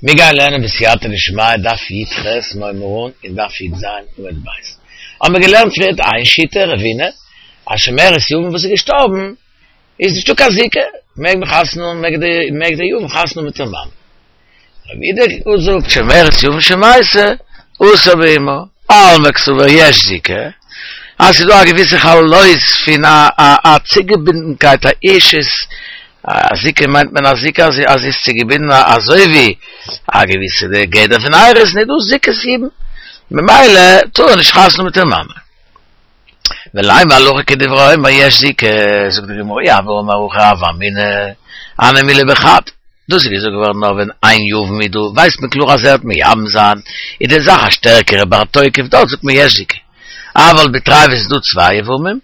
מיר גייען לערנען בסייעתא דשמיא דף י"ח מ'הייבט אן אין דף י"ז עמוד ב'. האבן מיר געלערנט פריערט איין שיטה, רבינא, אז שומרת יבם וואס איז געשטארבן איז נישטא קיין זיקה, מעג מען חתונה האבן, מעג די מעג די יבם חתונה האבן מיט איר מאמע. רב יהודה זאגט שומרת יבם שמתה אסור באמה, אלמא קסבר יש זיקה, אז ס'איז דא א געוויסע חלות פון א א א צוגעבינדנקייט א אישית, א זיקה מיינט מען א זיקה אז אז זי איז צוגעבינדן אזוי ווי א געוויסע די גדר פון אירוסין איז דא זיקת יבום ממילא טאר ער נישט חתונה מיט איר מאמע. ולימא הלכה כדברי האומר יש זיקה, זאגט די גמרא אי הוה אמר הכי הוה אמינא הני מילי בחד, דאס איז געזאגט געווארן נאר ווען איין יבם איז דא, ווייסט מען קלאר אז ער וועט מייבם זיין, איז די זאך א שטערקערע בר תוקף, דארט זאגט מען יש זיקה, אבל בתרי ווען ס'איז דא צוויי יבמים,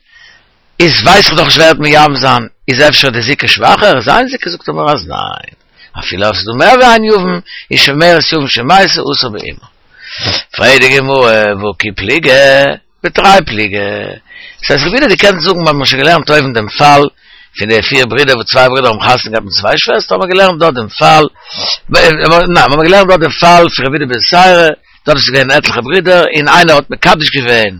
איז ווייס איך דאך נישט ווער וועט מייבם זיין, איז אפשר די זיקה שוואכער, איז אין זיקה זאגט ער מיר אז ניין, אפילו אויב ס'איז דא מער ווי איין יבם, איז שומרת יבם שמתה אסור באמה. פרעגט די גמרא והא כי פליגי בתרי פליגי. דאס הייסט רב יהודה דו קענסט זאגן מ'האט שוין געלערנט אויבן דעם פאל פון די פיר ברידער וואס צוויי ברידער האבן חתונה געהאט מיט צוויי שוועסטער האבן מיר געלערנט דארט דעם פאל ניין מ'האט געלערנט דארט דעם פאל פון רב יהודה בתירא דארט איז געווען עטליכע ברידער און איינער האט מקדש געווען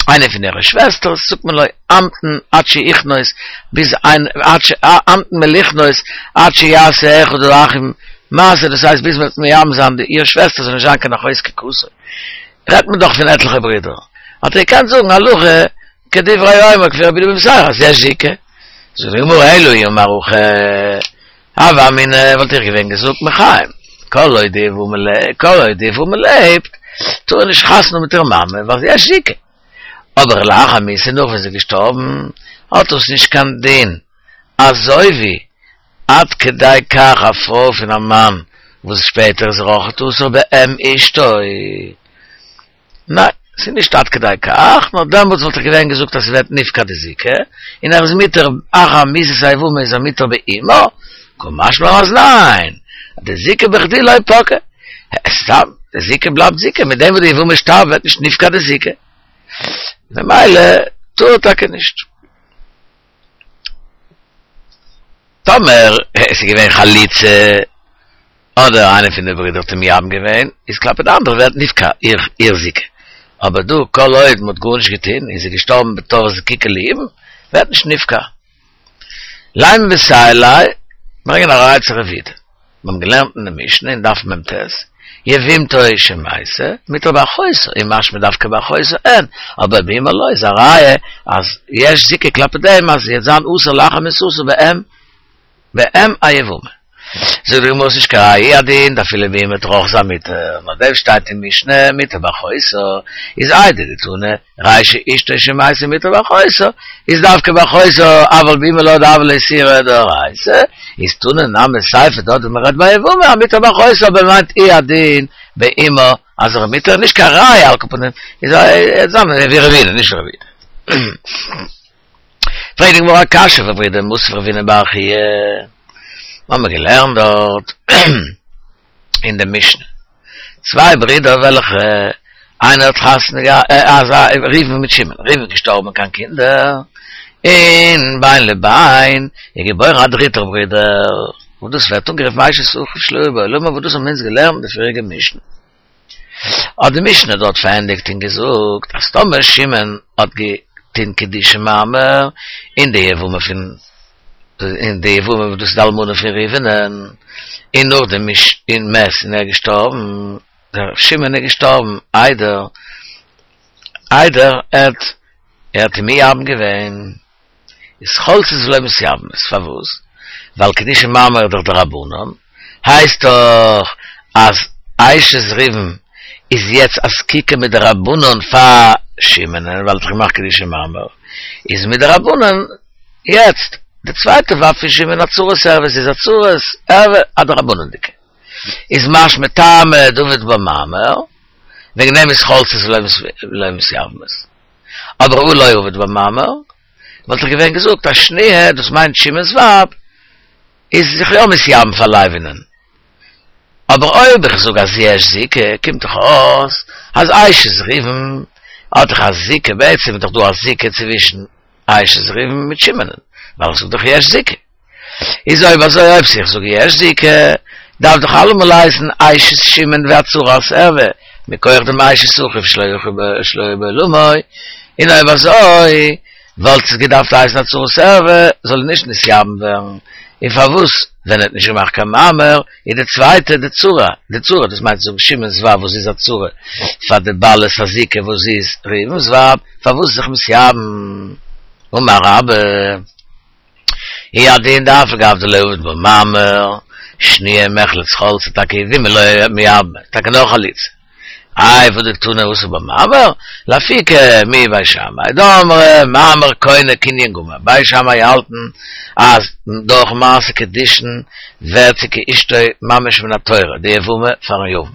איינע פון אירע שוועסטערס זאגט מען לא המתן עד שיכנוס ביז איין עד ש המתן מלכנוס עד שיעשה אחד האחים מעשה דאס הייסט ביז מ'וועט מייבם זיין די איר שוועסטער זאל נישט זיין קיין אחות זקוקתו רעדט מען דאך פון עטליכע ברידער, האט ער געקענט זאגן הלכה כדברי האומר כפי רב יהודה בן בתירא אז יש זיקה. זאגט די גמרא אלא אי אמר הכי הוה אמינא וואלט איך געווען געזאגט מחיים כל עוד די יבמה כל עוד די יבמה לעבט טאר ער נישט חתונה מיט איר מאמע ווייל יש זיקה אבער לאחר מיתה נאך ווען זי איז געשטארבן האט דאס נישט קיין דין אזוי ווי עד כדי כך א פרוי פון א מאן וואס שפעטער איז ער אויכעט אסור באם אשתו. ניין, ס'איז נישט עד כדי כך, נאר דעמאלטס וואלט איך געווען געזאגט אז ס'ווערט נפקע די זיקה, און ער איז מותר אחר מיתת היבמה איז ער מותר באמה, קא משמע לן אז ניין, די זיקה בכדי לא פקעה. סתם, די זיקה בלייבט זיקה, מיט דעם וואס די יבמה שטארבט ווערט נישט נפקע די זיקה. ממילא טאר ער טאקע נישט. טאמער עס איז געווען חליצה, אדער איינער פון די ברידער האט אים מייבם געווען, איז כלפי די אנדערע ווערט נפקע איר זיקה. אבער דא כל עוד מען האט גארנישט געטון און זי איז געשטארבן בתור זקוקה ליבום, ווערט נישט נפקע. לימא מסייע ליה, ברענגען א ראיה צו רב יהודה. מיר האבן געלערנט אין די משנה אין דף מ"ט, יבמתו שמתה, מותר באחותה, און משמע דווקא באחותה אין, אבער באמה לא איז א ראיה אז יש זיקה כלפי דעם אז זי וועט זיין אסור לאחר מיתתה באם באם היבמה. זאגט די גמרא ס'נישט קיין ראיה הוא הדין דאפילו באמה וועט ער אויך זיין מותר, נאר דעם שטייט אין משנה מותר באחותה, איז איידי דתנא רישא אשתו שמתה מותר באחותה, איז דווקא באחותה, אבל באמה לא דהוה ליה איסורא דאורייתא, איז תנא נמי סיפא דארט ווי מ'רעדט ביי יבמה מותר באחותה אבער מיינט הוא הדין באמה אז ער איז מותר נישט קיין ראיה על כל פנים איז א זאמ ווי רבינא נישט ווי רב יהודה. פרעגט די גמרא א קשיא אויף רב יהודה מתיב רב הונא בר חייא, מ'האמיר געלערנט דארט אין די משנה צוויי ברידער וועלכע איינער האט חתונה געהאט אזא ראובן מיט שמעון, ראובן איז געשטארבן אן קיין קינדער, און בין לבין איז געבוירן א דריטער ברודער, וואס דאס ווערט אנגערופן אשת אחיו שלא היה בעולמו, וואס דאס האבן אונז געלערנט אין די פריעריגע משנה. האט די משנה דארט פארענדיגט און געזאגט אז טאמער שמעון האט געטון קידושי מאמר אין די יבמה פון אין די יבמה וואס דאס איז די אלמנה פון ראובנ'ען, און נאכדעם און מת און ער איז געשטארבן, דער שמעון איז געשטארבן איידער איידער ער האט ער האט מייבם געווען, איז חולצות ולא מתייבמות, פארוואס? ווייל קידושי מאמר איז דאך דרבנן, הייסט דאך אז אשת ראובן איז יעצט א זקוקה מדרבנן פאר שמעונ'ען ווייל ער האט דאך געמאכט קידושי מאמר, איז מדרבנן יעצט די צווייטע ווייב פון שמעון א צרת ערוה, ס'איז א צרת ערוה א דרבנן'דיגע, איז משמע טעמא דעבד בה מאמר, וועגן דעם איז חולצות ולא מתייבמות. אבער הא לא עבד בה מאמר, וואלט איך געווען געזאגט אז שניה, דאס מיינט שמעון'ס ווייב, איז זיך יא מתייבם פאר לוי'נען. אבער אויב איך זאג אז יש זיקה, קומט דאך אויס אז אשת ראובן האט דאך א זיקה, בעצם איז דאך דא א זיקה צווישן אשת ראובן מיט שמעונ'ן, ווייל איך זאג דאך יש זיקה. איז אויב אזוי אויב איך זאג יש זיקה, דארף דאך אלעמאל הייסן אשת שמעון ווי א צרת ערווה, מכח דעם אשת אחיו שלא היה בעולמו, און אויב אזוי וואלט עס געדארפט הייסן א צרת ערווה, זאל נישט נתייבם ווערן, און פארוואס ווען ער האט נישט געמאכט קיין מאמר איז די צווייטע די צרה, די צרה דאס מיינט צו זאגן שמעון'ס ווייב וואס זי איז א צרה פאר די בעלת הזיקה וואס זי איז ראובן'ס ווייב, פארוואס זיך מתייבם? אמר רבה. הוא הדין דאף על גב דלא עבד בה מאמר, שניה מיחלץ חלצה טאקע יבומי לא מייבמה, טאקע נאר חליצה. איי והא דקתני אסור במאמר? לאפוקי מבית שמאי דאמרי מאמר קונה קנין גמור, בית שמאי האלטן אז דורך מעשה קידושין ווערט זי כאשתו ממש מן התורה, די יבמה פארן יבם.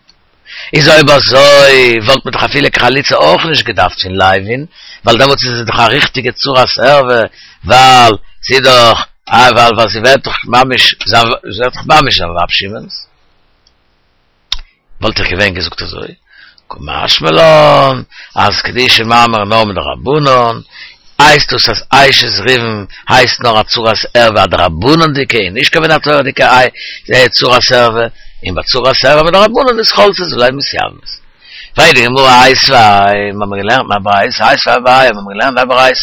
איז אויב אזוי וואלט מען דאך אפילו קיין חליצה אויך נישט געדארפט פון לוי'ן, ווייל דעמאלטס איז עס דאך א ריכטיגע צרת ערווה, ווייל זי איז דאך, ווייל ווייל זי ווערט דאך ממש זיין, זי ווערט דאך ממש זיין ווייב שמעון'ס. וואלט איך געווען געזאגט אזוי, קא משמע לן, אז קידושי מאמר נאר מדרבנן, הייסט דאס אז אשת ראובן הייסט נאר א צרת ערווה א דרבנן'דיגע און נישט קיין מן התורה'דיגע צרת ערווה, און ביי צרת ערווה מדרבנן איז חולצות ולא מתייבמות. פרעגט די גמרא איתיביה, מיר האבן געלערנט אין א ברייתא, איתיביה אביי, מיר האבן געלערנט אין א ברייתא,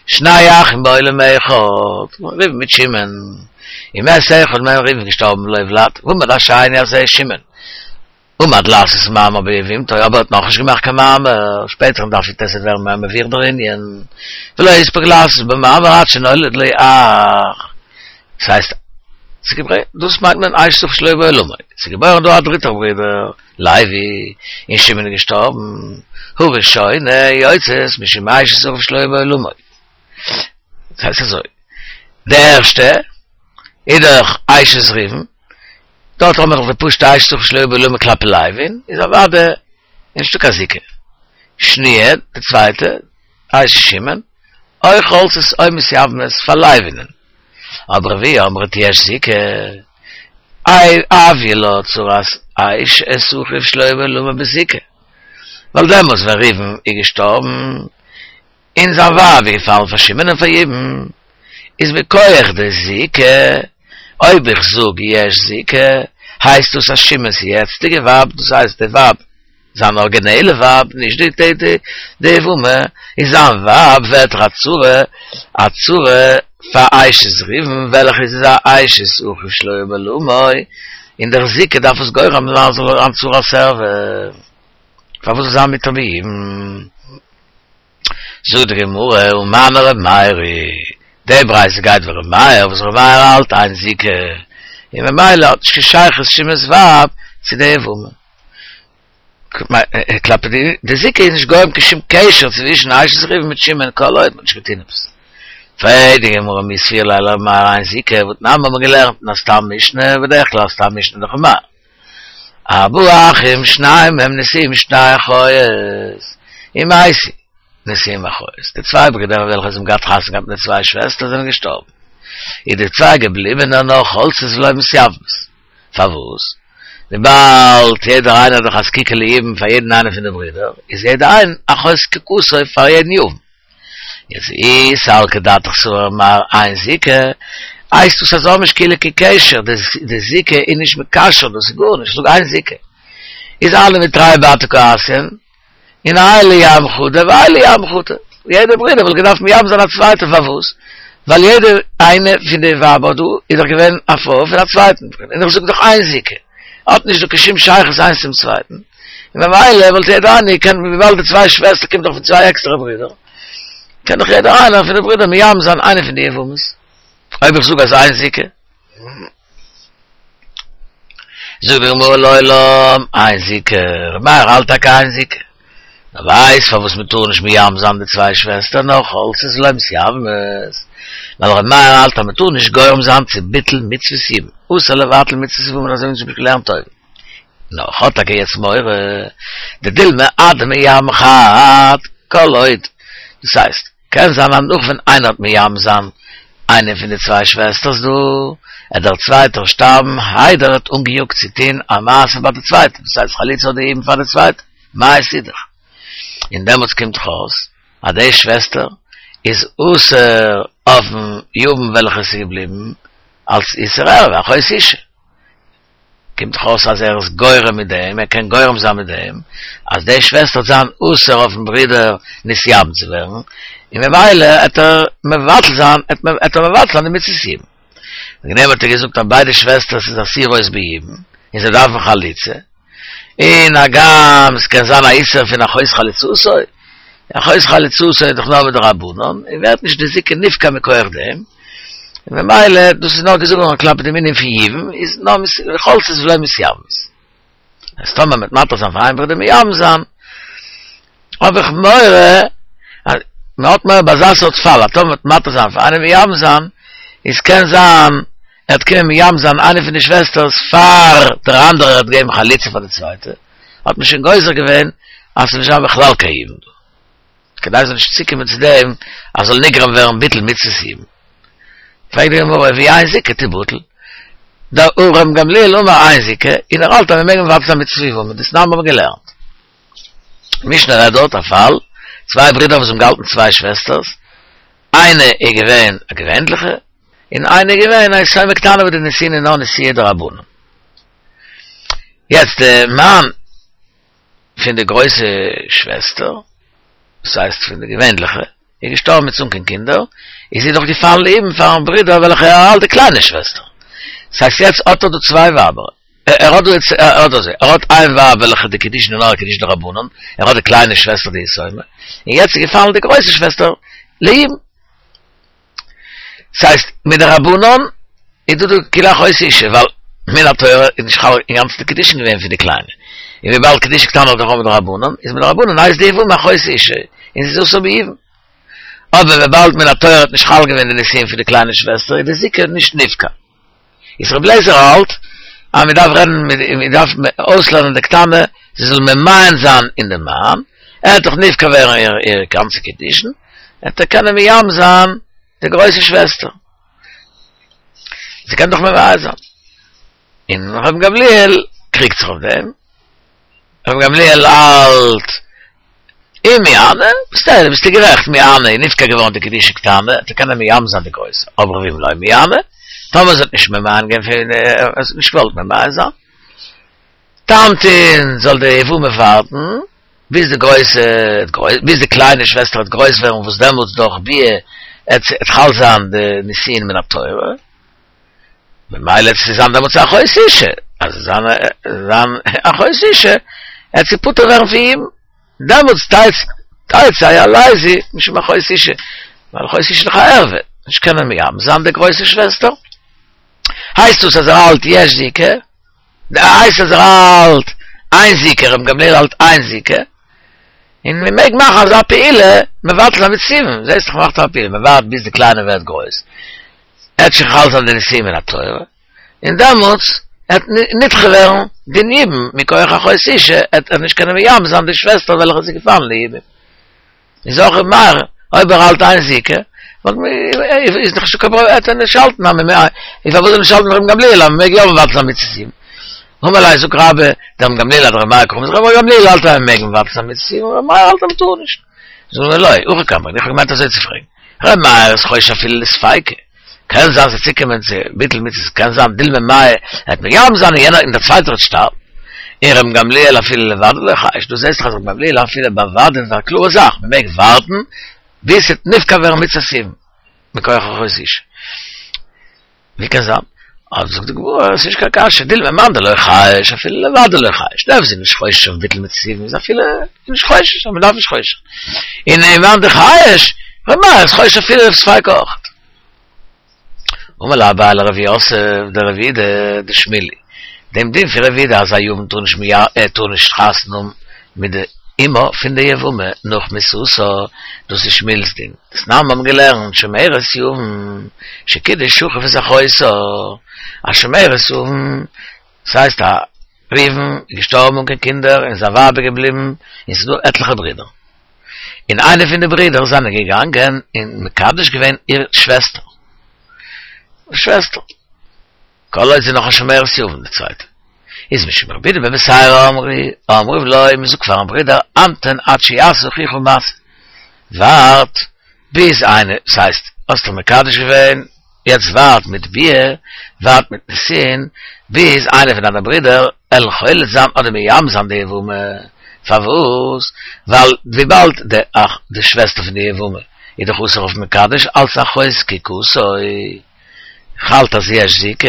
שני אחים בעולם אחד, ראובן מיט שמעון, ומת אחד מהם ראובן געשטארבן בלא ולד, ועמד השני הזה שמעון, עמד לעשות מאמר ביבמתו, אבער ער האט נאכנישט געמאכט קיין מאמר, שפעטער אין דף י"ט וועט ווערן מער מבואר דער ענין, ולא הספיק לעשות במאמר עד שנולד לו אח, דאס הייסט, דאס מיינט מען אשת אחיו שלא היה בעולמו, ס'איז געבוירן דא א דריטער ברודער, לוי, און שמעון איז געשטארבן, הראשונה יוצאת משום אשת אחיו שלא היה בעולמו. דאס הייסט אזוי, די ערשטע איז דאך אשת ראובן, דארט האבן מיר דאך די פשוטע אשת אחיו שלא היה בעולמו כלפי לוי'ן, איז אוודאי נישטא קיין זיקה. שניה, די צווייטע, אשת שמעון, או חולצות או מתייבמות פאר לוי'נען. אבער רביעי אמרת יש זיקה, איי הויא לה צרת אשת אחיו שלא היה בעולמו בזיקה. ווייל דעמאלטס ווען ראובן איז געשטארבן, און זיין ווייב איז געפאלן פאר שמעון און פאר יבום, איז מכח די זיקה, אויב איך זאג יש זיקה, הייסט דאס אז שמעון'ס יעצטיגע ווייב, דאס הייסט די ווייב, זיין ארגינעלע ווייב, נישט די די די יבמה, איז זיין ווייב ווערט דאך א צרה, א צרה פאר אשת ראובן, וועלכע איז א אשת אחיו שלא היה בעולמו, און דער זיקה דארף עס גורם זיין זאל זיין צרת ערווה. פארוואס זאל זיין מותר ביבום? זאגט די גמרא, ומני ר' מאיר היא, די ברייתא גייט ווי ר' מאיר, וואס ר' מאיר האלט אין זיקה, און ממילא האט נישט קיין שייכות שמעון'ס ווייב צו די יבמה. כלפי די זיקה איז נישט גורם קיין שום קשר צווישן אשת ראובן מיט שמעון כל עוד מ'האט נישט געטון עפעס. פרעגט די גמרא מי סבירא ליה לר' מאיר אין זיקה, והתנן האבן מיר געלערנט אין א סתם משנה, בדרך כלל סתם משנה דאך ר' מאיר. ארבעה אחים שניים מהם נשואים שתי אחיות, ומתו נשואים אחיות, די צוויי ברידער וועלכע זיי האבן געהאט חתונה געהאט מיט די צוויי שוועסטער זענען געשטארבן, איז די צוויי געבליבענע נאך חולצות ולא מתייבמות, פארוואס? וויבאלד יעדער איינער האט דאך א זקוקה ליבום פאר יעדן איינעם פון די ברידער, איז יעדער איין אחות זקוקתו פאר יעדן יבם. יעצט אי סלקא דעתך סבר ר' מאיר אין זיקה, הייסט דאס אז האבן נישט כאילו קיין קשר, די זיקה איז נישט מקשר, דאס איז גארנישט, זאג אין זיקה. איז הני מתרי בתר קא אתיין, און האי לייבם חדא והאי לייבם חדא. יעדע ברודער וואלט געדארפט מייבם זיין א צווייטע פארוואס? ווייל יעדע איינע פון די ווייבער דא איז דאך געווען א פרוי פון א צווייטן ברודער, און איך זאג דאך אין זיקה, האט נישט דא קיין שום שייכות איינס צום צווייטן. און ממילא וואלט יעדער איינער געקענט וויבאלד די צוויי שוועסטער קומט דאך פון צוויי עקסטערע ברידער, קען דאך יעדער איינער פון די ברידער מייבם זיין איינע פון די יבמות, אויב איך זאג אז אין זיקה. זאגט די גמרא לעולם אין זיקה, ר' מאיר האלט טאקע אין זיקה, נאר ווייסט פארוואס מען טאר נישט מייבם זיין די צוויי שוועסטער נאר חולצות ולא מתייבמות, ווייל ר' מאיר האלט אז מען טאר נישט גורם זיין צו ביטול מצוות יבום, אסור לבטל מצוות יבום אזוי ווי אונז האבן געלערנט אויבן. נאר האט טאקע יעצט מורא דדילמא אדמייבם חד כל עוד, דאס הייסט, קען זיין אז נאך ווען איינער האט מייבם זיין איינע פון די צוויי שוועסטערס דא, עט דער צווייטער שטארבן איידער ער האט אנגעיאגט צו טוהן א מעשה ביי די צווייטע, דאס הייסט חליצה אדער יבום פאר די צווייטע, מאי אידך? און דעמאלטס קומט דאך אויס אז די שוועסטער איז אסור אויפן יבם וועלכע עס איז געבליבן אלס איסור ערווה, אחות אשה. קומט דאך אויס אז ער איז גורם מיט דעם, ער קען גורם זיין מיט דעם, אז די שוועסטער וועט זיין אסור אויפן ברודער נתייבם צו ווערן, און ממילא עט ער מבטל זיין, עט ער מבטל זיין די מצות יבום. וועגן דעם האט ער געזאגט אז ביידע שוועסטערס איז אסורות ביבום, און זיי דארפן חליצה, און הגם ס'קען זיין א איסור פון אחות חלוצתו, אחות חלוצתו איז דאך נאר מדרבנן, און ווערט נישט די זיקה נפקע מכח דעם, און ממילא דאס איז נאר געזאגט געווארן כלפי דעם ענין פון יבום, איז נאר חולצות ולא מתייבמות. אז טאמער מ'וועט מתיר זיין פאר איין ברודער מייבם זיין, האב איך מורא, אז מ'האט מורא ביי אזא סארט פאל, אז טאמער מ'וועט מתיר זיין פאר איינעם מייבם זיין, איז קען זיין ער וועט קומען מייבם זיין איינע פון די שוועסטערס פאר דער אנדערער האט געגעבן חליצה פאר די צווייטע, האט מען שוין גוזר געווען אז ס'זאל נישט זיין בכלל קיין יבום דא, כדי ס'זאל נישט צוקומען צו דעם אז זאל נגרם ווערן ביטול מצוות יבום. פרעגט די גמרא ואי אין זיקה תיבטל, דהא רבן גמליאל אמר אין זיקה, און ער האלט אז מ'מעג מבטל זיין מצוות יבום, דתנן האבן מיר געלערנט. משנה רעדט דארט א פאל, צוויי ברידער וואס האבן געהאלטן צוויי שוועסטערס, איינע איז געווען א געווענליכע, און איינע איז געווען א יתומה קטנה וואס די נישואין איז נאר נישואי דרבנן. יעצט די מאן פון די גרויסע שוועסטער, דאס הייסט פון די געווענליכע, איז געשטארבן מיט אן קיין קינדער, איז זי דאך געפאלן ליבום פארן ברודער וועלכער ער האלט די קליינע שוועסטער. דאס הייסט יעצט האט ער דא צוויי ווייבער, ער האט דא יעצט, ער האט אזוי, ער האט איין ווייב וועלכע די קידושין איז נאר א קידושין דרבנן, ער האט די קליינע שוועסטער די יתומה, און יעצט איז געפאלן די גרויסע שוועסטער ליבום. ס'הייסט מדרבנן איז דא דא כאילו אחות אשה, ווייל מן התורה איז נישט חל אינגאנצן די קידושין געווען פון די קליינע, און וויבאלד קידושין קטנה איז דאך אויך מדרבנן, איז מדרבנן הייסט די יבמה אחות אשה, און זי איז אסור ביבום. אבער וויבאלד מן התורה האט נישט חל געווען די נישואין פון די קליינע שוועסטער איז די זיקה נישט נפקע. איז רבי אליעזר האלט אז מען דארף רעדן מיט מען דארף אויסלערנען די קטנה זי זאל ממאן זיין אין דעם מאן, ער וועט דאך נפקע ווערן איר איר גאנצע קידושין, וועט ער קענען מייבם זיין די גרויסע שוועסטער, זי קען דאך ממאן זיין, און רבן גמליאל קריגט זיך אויף דעם, רבן גמליאל האלט אם מיאנה, בסדר ביסטו גערעכט מיאנה איז נפקע געווארן די קידושין קטנה, וועט ער קענען מייבם זיין די גרויסע, אבער ואם לא מיאנה, טאמער זי האט נישט ממאן געווען פון ער האט נישט געוואלט ממאן זיין, תמתין זאל די יבמה ווארטן ביז די גרויסע ביז די קליינע שוועסטער וועט גרויס ווערן וואס דעמאלטס דורך ביאה עט חל זיין די נישואין מן התורה. ממילא עט זי זיין דעמאלטס א אחות אשה, אז זיין זיין אחות אשה, עט זי פטור ווערן פון יבום, דעמאלטס תצא הלזי משום אחות אשה, ווייל אחות אשה איז דאך א ערווה, נישט קענען מייבם זיין די גרויסע שוועסטער, הייסט דאס אז ער האלט יש זיקה, הייסט אז ער האלט אין זיקה, רבן גמליאל האלט אין זיקה, און מען מעג מאכן אזא פעולה מבטל זיין מצות יבום, זעסט דאך מ'מאכט א פעולה, מען ווארט ביז די קליינע ווערט גרויס, עט שוין חל זיין די נישואין מן התורה, און דעמאלטס עט נדחה ווערן דין יבום מכח אחות אשה, עט ער נישט קענען מייבם זיין די שוועסטער וועלכע איז געפאלן ליבום. איז אויך ר' מאיר, אויב ער האלט אין זיקה, וואלט מ איז דאך נישטא קיין פראבלעם, עט ער נישט האלטן אז מ'מעג, איז פארוואס זאל ער נישט האלטן רבן גמליאל אז מ'מעג יא מבטל זיין מצות יבום? אמר ליה זאגט רבה, דרבן גמליאל אדר' מאיר קאמר, רבן גמליאל האלט אז מ'מעג מבטל זיין מצות יבום, ר' מאיר האלט אז מ'טאר נישט. זאגט ער לא, הכי קאמר, איך האב געמיינט אזוי צו פרעגן. ר' מאיר איז חושש אפילו לספיקא, קען זיין ס'וועט צוקומען צו ביטול מצוות, קען זיין דילמא מיא עט מייבם זיין און יענער און דער צווייטער וועט שטארבן, און רבן גמליאל אפילו לודאי לא חייש, דו זעסט דאך אז רבן גמליאל אפילו ביי וודאי איז א קלארע זאך, מען מעג ווארטן ביז ס'וועט נפקע ווערן מצות יבום מכח אחות אשה. ווי קען זיין? אבער זאגט די גמרא, עס איז נישט קיין קשיא, דילמא מאן דלא חייש אפילו לודאי לא חייש, דער וואס איז נישט חושש אויף ביטול מצות יבום איז אפילו נישט חושש, אז מען דארף נישט חושש זיין, און מאן דחייש, ר' מאיר איז חושש אפילו אויף ספיקא אויך. אמר ליה אביי לרב יוסף דרב יהודה דשמואל היא, דעם דין פון רב יהודה אז א יבם טאר נישט ער טאר נישט חתונה האבן מיט די אמה פון די יבמה נאך מיתתה, דאס איז שמואל'ס דין. דתנן מיר האבן געלערנט שומרת יבם שקידש אחיו את אחותה, א שומרת יבם, ס'הייסט א ראובן איז געשטארבן אן קיין קינדער און זיין ווייב איז געבליבן און ס'איז דא עטליכע ברידער, און איינער פון די ברידער זענען געגאנגען און מקדש געווען איר שוועסטער, שוועסטער. כל עוד זי איז נאך א שומרת יבם די צווייטע איז משום רבי יהודה בן בתירא אמרו אומרים לו מען זאגט פארן ברודער המתן עד שיעשה אחיך מעשה ווארט ביז איינער ס'הייסט האסט דאך מקדש געווען יעצט ווארט מיט ביאה ווארט מיט נישואין. ביז איינער פון דיינע ברידער עלן חולץ זיין אדער מייבם זיין די יבמה, פארוואס? ווייל וויבאלד די אח די שוועסטער פון די יבמה איז דאך אסור אויף מקדש אלץ אחות זקוקתו, כ'האלט אז יש זיקה,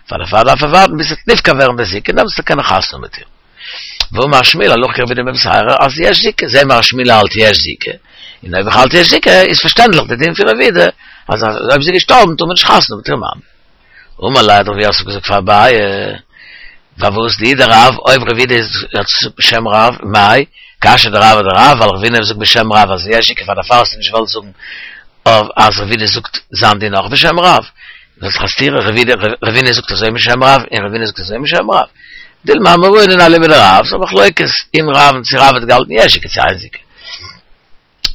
פאר דערפאר דארף ער ווארטן ביז ס'וועט נפקע ווערן די זיקה און דעמאלטס וועט ער קענען חתונה האבן מיט איר. ואמר שמואל הלכה כרב יהודה בן בתירא אז יש זיקה, זעהן מיר אז שמואל האלט יש זיקה, און אויב איך האלט יש זיקה איז פארשטענדליך די דין פון רב יהודה אז אויב זי איז געשטארבן טאר מען נישט חתונה האבן מיט איר מאן. אמר ליה האט רב יוסף געזאגט פאר אביי, פארוואס דאי דרב אויב רב יהודה האט געזאגט בשם רב, מאי קשיא דרב אדרב ווייל רב יהודה זאגט בשם רב אז יש זיקה פאר דערפאר האסטו נישט געוואלט זאגן אז רב יהודה זאגט זיין דין אויך בשם רב, דאס איז דאך א סתירה, רבינא זאגט אזוי בשם רב און רבינא זאגט אזוי בשם רב. דילמא אמוראי אינון אליבא דרב, ס'איז א מחלוקת אין רב צו רב האט געהאלטן יש זיקה צו אין זיקה.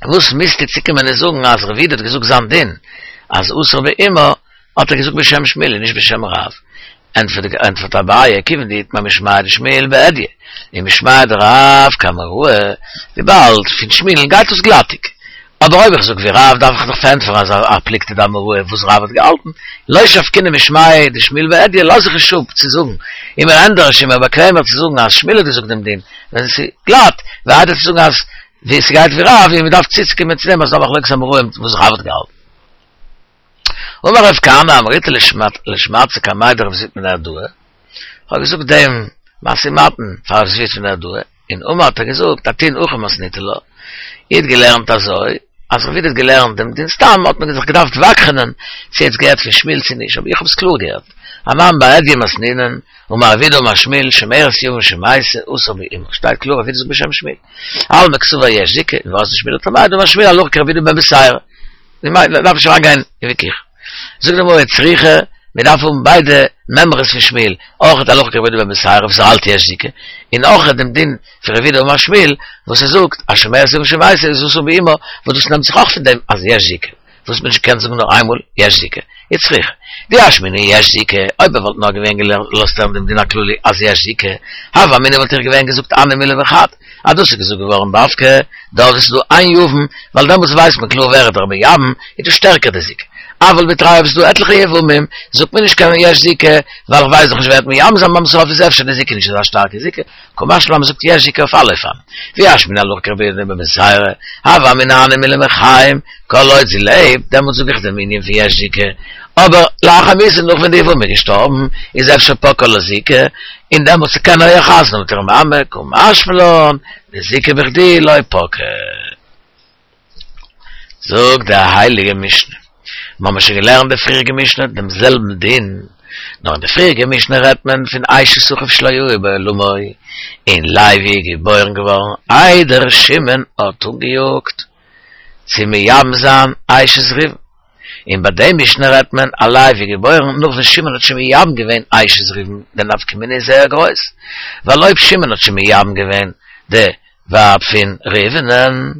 וואס מוזטו צוקומען און זאגן אז רב יהודה האט געזאגט זיין דין אז אסור באמה האט ער געזאגט בשם שמואל און נישט בשם רב? ענטפערט אביי כיוון דאיתמר משמיה דשמואל בהדיא ומשמיה דרב כאמוראי, וויבאלד פון שמואל'ן גייט עס גלאטיג. אבער אויב איך זאג ווי רב דארף איך דאך פארענטפערן אז א פלוגתא דאמוראי וואס רב האט געהאלטן, לא שבקינן משמיה דשמואל בהדיא לאז איך נישט אפ צו זאגן, איז מיר ענדערש און מער באקוועמער צו זאגן אז שמואל האט געזאגט דעם דין ווען ס'איז גלאט, ווי איידער צו זאגן אז ווי ס'גייט ווי רב און מ'דארף צוצוקומען צו דעם אז ס'דא מחלוקת אמוראים וואס רב האט געהאלטן. אמר רב כהנא אמריתה לשמעתתא קמיה דרב זביד מנהרדעא, כ'האב געזאגט דעם משא ומתן פאר רב זביד פון נהרדעא, און אמר האט ער געזאגט אתון הכי מתניתו לה, איר האט געלערנט אזוי, אז רב יהודה האט געלערנט דעם דין סתם האט מען זיך געדארפט ווכח'נען צו ער האט עס געהערט פון שמואל צו נישט, אבער איך האב עס קלאר געהערט, אנן בהדיא מתנינן, אמר רב יהודה אמר שמואל, שומרת יבם שמתה אסור באמה, שטייט קלאר רב יהודה זאגט בשם שמואל, אלמא קסבר יש זיקה, און ואזדא שמואל לטעמיה דאמר שמואל הלכה כרב יהודה בן בתירא. מ'דארף נישט אריינגיין אין וויכוח. זאגט די גמרא צריכא, מען דארף האבן ביידע מימרות פון שמואל, אויך הלכה כרבי יהודה בן בתירא וואס ער האלט יש זיקה, און אויך דעם דין פון רב יהודה אמר שמואל וואס ער זאגט אז שומרת יבם שמתה איז אסור באמה, וואס דאס נעמט זיך אויך פון דעם אז יש זיקה, וואס מען נישט קען זאגן נאר איינמאל יש זיקה, איז צריכא. דאי אשמעינן יש זיקה, אויב ער וואלט נאר געווען געלאזט הערן דעם דין הכללי אז יש זיקה, הוה אמינא וואלט איך געווען געזאגט הני מילי בחד, אז דאס איז געזאגט געווארן דווקא דארט וואו ס'איז דא איין יבם, ווייל דעמאלטס ווייסט מען קלאר ווער איז דער מייבם, איז דא שטערקער די זיקה. אבל בתרייהו אויב ס'איז דא עטליכע יבמים, זאגט מען נישט קיין יש זיקה, ווייל איך ווייס דאך נישט ווער וועט מייבם זיין ביים סוף איז אפשר די זיקה נישט אזא שטארקע זיקה, קא משמע לן מ'זאגט יש זיקה אויף אלע אופנים. ואי אשמעינן הלכה כרבי יהודה בן בתירא, הוה אמינא הני מילי מחיים, כל עוד זי לעבט, דעמאלטס זאג איך דעם ענין פון יש זיקה, אבער לאחר מיתה נאך ווען די יבמה איז געשטארבן, איז אפשר פקעה לה זיקה, און דעמאלטס קען ער יא חתונה האבן מיט איר מאמע, קא משמע לן, דזיקה בכדי לא פקעה. זאגט די הייליגע משנה, מיר האבן שוין געלערנט די פריעריגע משנה דעם זעלבן דין, נאר אין די פריעריגע משנה רעדט מען פון אשת אחיו שלא היה בעולמו, און לוי איז געבוירן געווארן איידער שמעון האט אנגעיאגט צו מייבם זיין אשת ראובן. און ביי די משנה רעדט מען אז לוי איז געבוירן נאך ווען שמעון האט שוין מייבם געווען אשת ראובן, די נפקא מינה איז זייער גרויס, ווייל אויב שמעון האט שוין מייבם געווען די ווייב פון ראובנ'ן,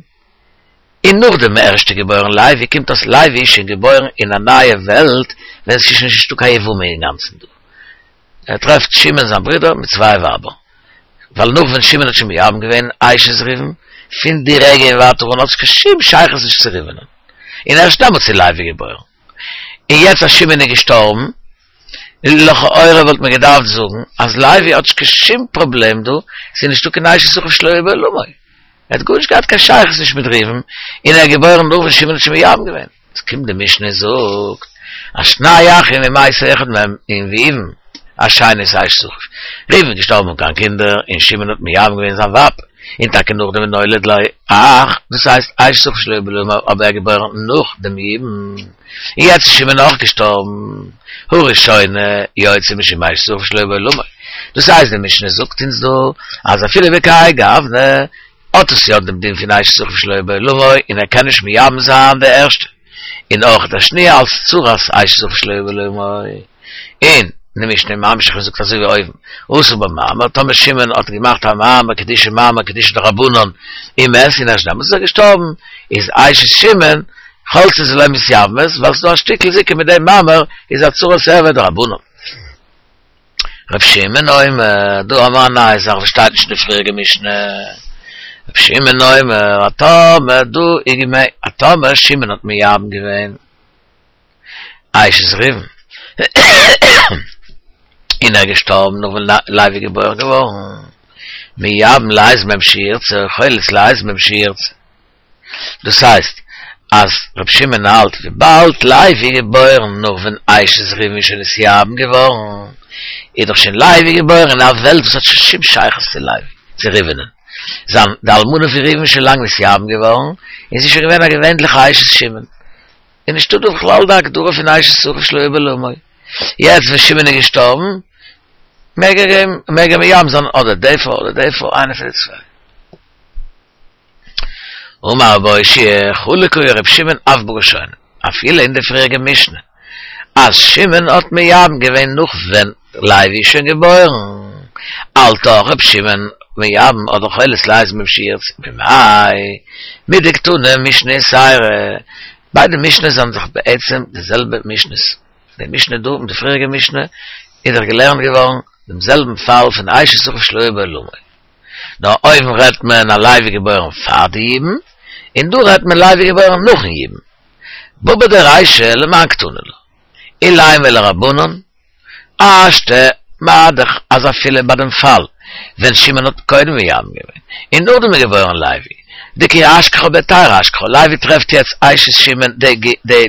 און נאכדעם ערשט איז געבוירן לוי, קומט אויס לוי איז שוין געבוירן אין א נייע וועלט ווען ס'איז שוין נישטא קיין יבמה אינגאנצן דא. ער טרעפט שמעון זיין ברודער מיט צוויי ווייבער, ווייל נאך ווען שמעון האט שוין מייבם געווען אשת ראובן, פון די רגע און ווייטער אן האט עס קיין שום שייכות נישט צו ראובנ'ן, און ערשט דעמאלטס איז לוי געבוירן. און יעצט אז שמעון איז געשטארבן, לכאורה וואלט מען געדארפט זאגן אז לוי האט נישט קיין שום פראבלעם דא, ס'איז נישטא קיין אשת אחיו שלא היה בעולמו. ער האט גארנישט געהאט קיין שייכות נישט מיט ראובן, און ער איז געבוירן נאך ווען שמעון האט שוין מייבם געווען. עס קומט די משנה און זאגט אז שני אחים ומת אחד מהם און ראובן השני את אשת אחיו. ראובן איז געשטארבן אן קיין קינדער און שמעון האט מייבם געווען זיין ווייב, און טאקע נאכדעם ונולד לו אח, דאס הייסט אשת אחיו שלא היה בעולמו אבער ער איז געבוירן נאך דעם יבום, און יעצט איז שמעון אויך געשטארבן, הראשונה יוצאה משום אשת אחיו שלא היה בעולמו. דאס הייסט די משנה זאגט אונז דא אז אפילו בכהאי גוונא האט עס יא דעם דין פון אשת אחיו שלא היה בעולמו און ער קען נישט מייבם זיין די ערשטע און אויך די שניה אלס צרת אשת אחיו שלא היה בעולמו און די משנה איז ממשיך און זאגט אזוי ווי אויבן עשה בה מאמר טאמער שמעון האט געמאכט א מאמר קידושי מאמר קידושי דרבנן ומת און ערשט דעמאלטס איז ער געשטארבן איז אשת שמעון חולצות ולא מתייבמות ווייל ס'איז דא א שטיקל זיקה מיט דעם מאמר איז א צרת ערוה דרבנן. ר' שמעון אומר, דא האבן מיר א נייע זאך וואס שטייט נישט אין די פריעריגע משנה. ר' שמעון אומר, אז טאמער דא איז געווען, אז טאמער שמעון האט מייבם געווען אשת ראובן. און ער איז געשטארבן נאך ווען לוי איז געבוירן געווארן, מייבם לאיזה מהם שירצה, חולץ לאיזה מהם שירצה. דאס הייסט אז ר' שמעון האלט וויבאלד לוי איז געבוירן נאך ווען אשת ראובן איז שוין נתייבם געווארן, איז דאך שוין לוי געבוירן אין א וועלט וואס האט שוין שום שייכות צו לוי, צו ראובנ'ן. זיין די אלמנה פון ראובן איז שוין לאנג נתייבם געווארן, און זי איז שוין געווען א געווענליכע אשת שמעון. איז נישטא דא בכלל די הגדרה פון אשת אחיו שלא היה בעולמו. יעצט ווען שמעון איז געשטארבן, מעג ער אים, מעג ער מייבם זיין אדער די פרוי אדער די פרוי, איינע פון די צוויי. אמר רבי אושעיא, חלוק היה ר' שמעון אף בראשונה, אפילו אין די פריעריגע משנה, אז שמעון האט מייבם געווען נאך ווען לוי איז שוין געבוירן, האלט אויך ר' שמעון מייבם אדער חולץ לאיזה מהם שירצה, במאי מדקתני משנה יתירא, ביידע משנה'ס זענען דאך בעצם די זעלבע משנה'ס, די משנה דא און די פריעריגע משנה איז דאך געלערנט געווארן דעם זעלבן פאל פון אשת אחיו שלא היה בעולמו. נאר אויבן רעדט מען אז לוי איז געבוירן פאר די יבום, און דא רעדט מען לוי איז געבוירן נאכן יבום. בבא דרישא למאן קתני לה? אילימא לרבנן, השתא מה דאך אז אפילו ביי דעם פאל ווען שמעון האט קודם מייבם געווען און נאכדעם איז געבוירן לוי, דכי אשכחה בהיתרא אשכחה, לוי טרעפט יעצט אשת שמעון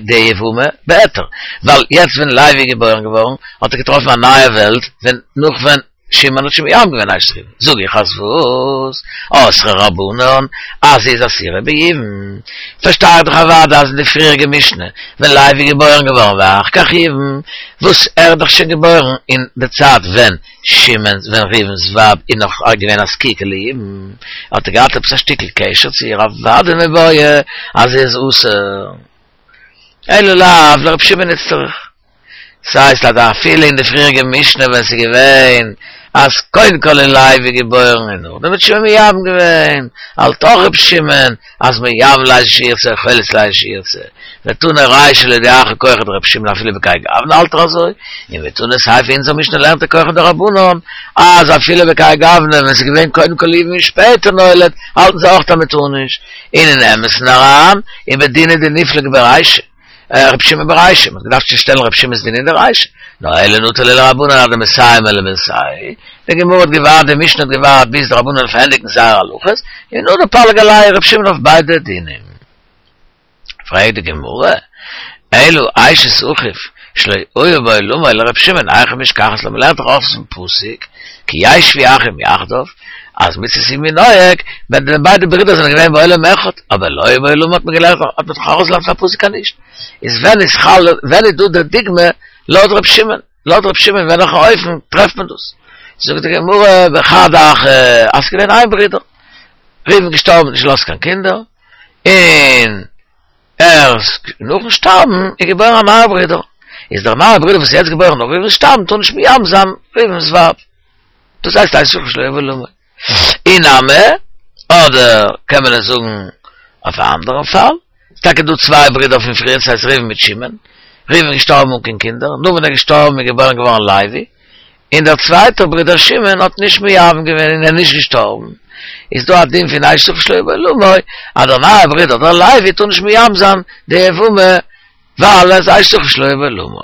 די יבמה בהיתר, ווייל יעצט ווען לוי איז געבוירן געווארן האט ער געטראפן א נייע וועלט ווען נאך ווען שמעון האט שוין מייבם געווען אשת ראובן, זאג איך אז וואס? אסרו רבנן אז זי איז אסורה ביבום? פארשטיי איך דאך אוודאי אז אין די פריעריגע משנה ווען לוי איז געבוירן געווארן ואחר כך ייבם, וואס ער איז דאך שוין געבוירן אין די צייט ווען שמעון ווען ראובן'ס ווייב איז נאך געווען א זקוקה ליבום, האט ער געהאט עפעס א שטיקל קשר צו איר אוודאי מיבעיא אז זי איז אסור. אלא לאו לר' שמעון איצטריך. ס'הייסט אז אפילו אין די פריעריגע משנה ווען ס'איז געווען אז קודם כל איז לוי געבוירן און נאכדעם האט שמעון מייבם געווען, האלט אויך ר' שמעון אז מייבם לאיזה שירצה חולץ לאיזה שירצה, ותנא רישא להודיעך כחו דר' שמעון אפילו בכהאי גוונא האלט ער אזוי, און ותנא סיפא אונזער משנה לערנט ער כחן דרבנן אז אפילו בכהאי גוונא ווען ס'איז געווען קודם כל יבם און שפעטער נולד האלטן זיי אויך אז מ'טאר נישט, און אין אמת'ן אריין ובדינא דניפלוג ברישא. רבי שמעון ברישא, מ'האט געדארפט צושטעלן רבי שמעון'ס דין אין די רישא, נאר אלא נטה ליה לרבנן עד דמסיימי למילתייהו, די גמרא האט געווארט, די משנה האט געווארט ביז די רבנן פארענדיגן זייערע הלכות, און נאכדעם פליג עלייהו רבי שמעון אויף ביידע דינים. פרעגט די גמרא, אלא אשת אחיו שלא היה בעולמו לרבי שמעון היכי משכחת לה, מ'לערנט דאך אויס פון פסוק כי ישבו אחים יחדיו, אז מצות יבום נוהג, ווען די ביידע ברידער זענען געווען בעולם אחד, אבער לא היה בעולמו האט מען געלערנט האט מען דאך ארויסגעלערנט פון א פסוק אז נישט. איז ווען איז חל ווען איז דא די דוגמא לויט ר' שמעון, לויט ר' שמעון אין וועלכע אופן טרעפט מען דאס? זאגט די גמרא בחד אחא אז ס'איז געווען איין ברודער, ראובן געשטארבן נישט געלאזט קיין קינדער, און ערשט נאכן שטארבן איז געבוירן א נייער ברודער, איז דער נייער ברודער וואס איז יעצט געבוירן נאך ראובן'ס שטארבן טאר נישט מייבם זיין ראובן'ס ווייב. דאס הייסט אשת אחיו שלא היה בעולמו. אי נמי, אדער קען מען עס זאגן אויף א אנדערן פאל, ס'איז טאקע דא צוויי ברידער פון פריער, ס'הייסט ראובן מיט שמעון, ראובן איז געשטארבן אן קיין קינדער, נאך ווען ער איז געשטארבן איז געבוירן געווארן לוי, און דער צווייטער ברודער שמעון האט נישט מייבם געווען און ער איז נישט געשטארבן, איז דא א דין פון אשת אחיו שלא היה בעולמו, אז דער נייער ברודער דער לוי טאר נישט מייבם זיין די יבמה ווייל ער איז אשת אחיו שלא היה בעולמו.